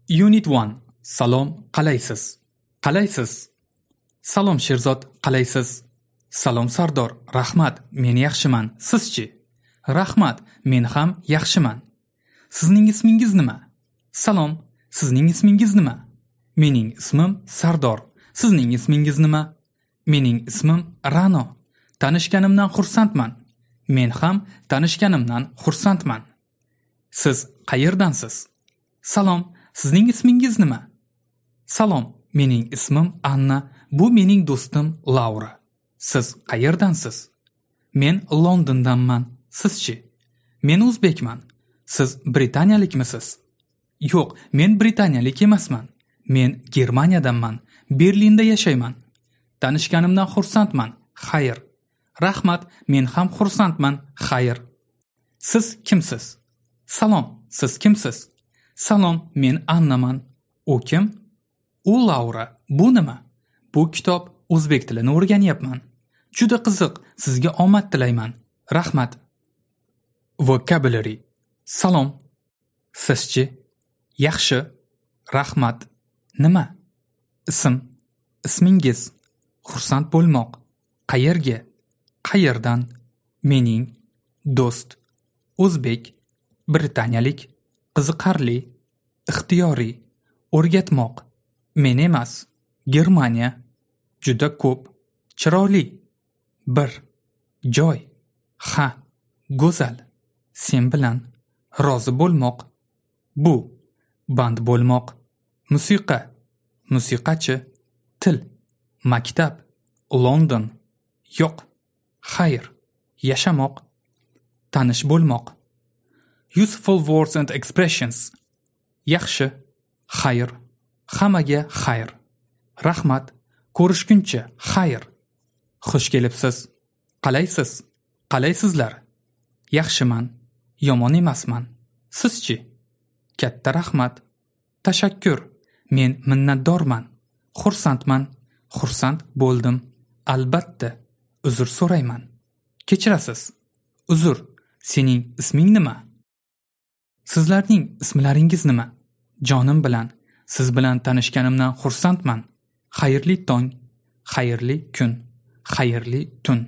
Unit 1. Salom, qalaysiz? Qalaysiz? Salom Sherzod, qalaysiz? Salom Sardor, rahmat, men yaxshiman. Sizchi? Rahmat, men ham yaxshiman. Sizning ismingiz nima? Salom, sizning ismingiz nima? Mening ismim Sardor. Sizning ismingiz nima? Mening ismim Rano. Tanishganimdan xursandman. Men ham tanishganimdan xursandman. Siz qayerdansiz? Salom, sizning ismingiz nima? Salom, mening ismim Anna. Bu mening do'stim Laura. Siz qayerdansiz? Men Londondanman. Sizchi? Men o'zbekman. Siz britaniyalikmisiz? Yo'q, men britaniyalik emasman. Men Germaniyadanman. Berlinda yashayman. Tanishganimdan xursandman. Xayr. Rahmat, men ham xursandman. Xayr. Siz kimsiz? Salom, siz kimsiz? Salom, men Annaman. U kim? U Laura. Bu nima? Bu kitob, o'zbek tilini o'rganyapman. Juda qiziq, sizga omad tilayman. Rahmat. Vocabulary. Salom. Sizchi? Yaxshi. Rahmat. Nima? Ism. Ismingiz. Xursand bo'lmoq. Qayerga? Qayerdan? Mening. Do'st. O'zbek. Britaniyalik. Qiziqarli. Ixtiyoriy. O'rgatmoq. Men emas. Germaniya. Juda ko'p. Chiroyli. Bir. Joy. Ha. Go'zal. Sen bilan. Rozi bo'lmoq. Bu. Band bo'lmoq. Musiqa. Musiqachi. Til. Maktab. London. Yo'q. Xayr. Yashamoq. Tanish bo'lmoq. Useful words and expressions. Yaxshi. Xayr. Hammaga xayr. Rahmat. Ko'rishguncha xayr. Xush kelibsiz. Qalaysiz? Qalaysizlar? Yaxshiman. Yomon emasman. Sizchi? Katta rahmat. Tashakkur. Men minnatdorman. Xursandman. Xursand bo'ldim. Albatta. Uzr so'rayman. Kechirasiz. Uzr. Sening isming nima? Sizlarning ismlaringiz nima? Jonim bilan. Siz bilan tanishganimdan xursandman. Xayrli tong, xayrli kun, xayrli tun.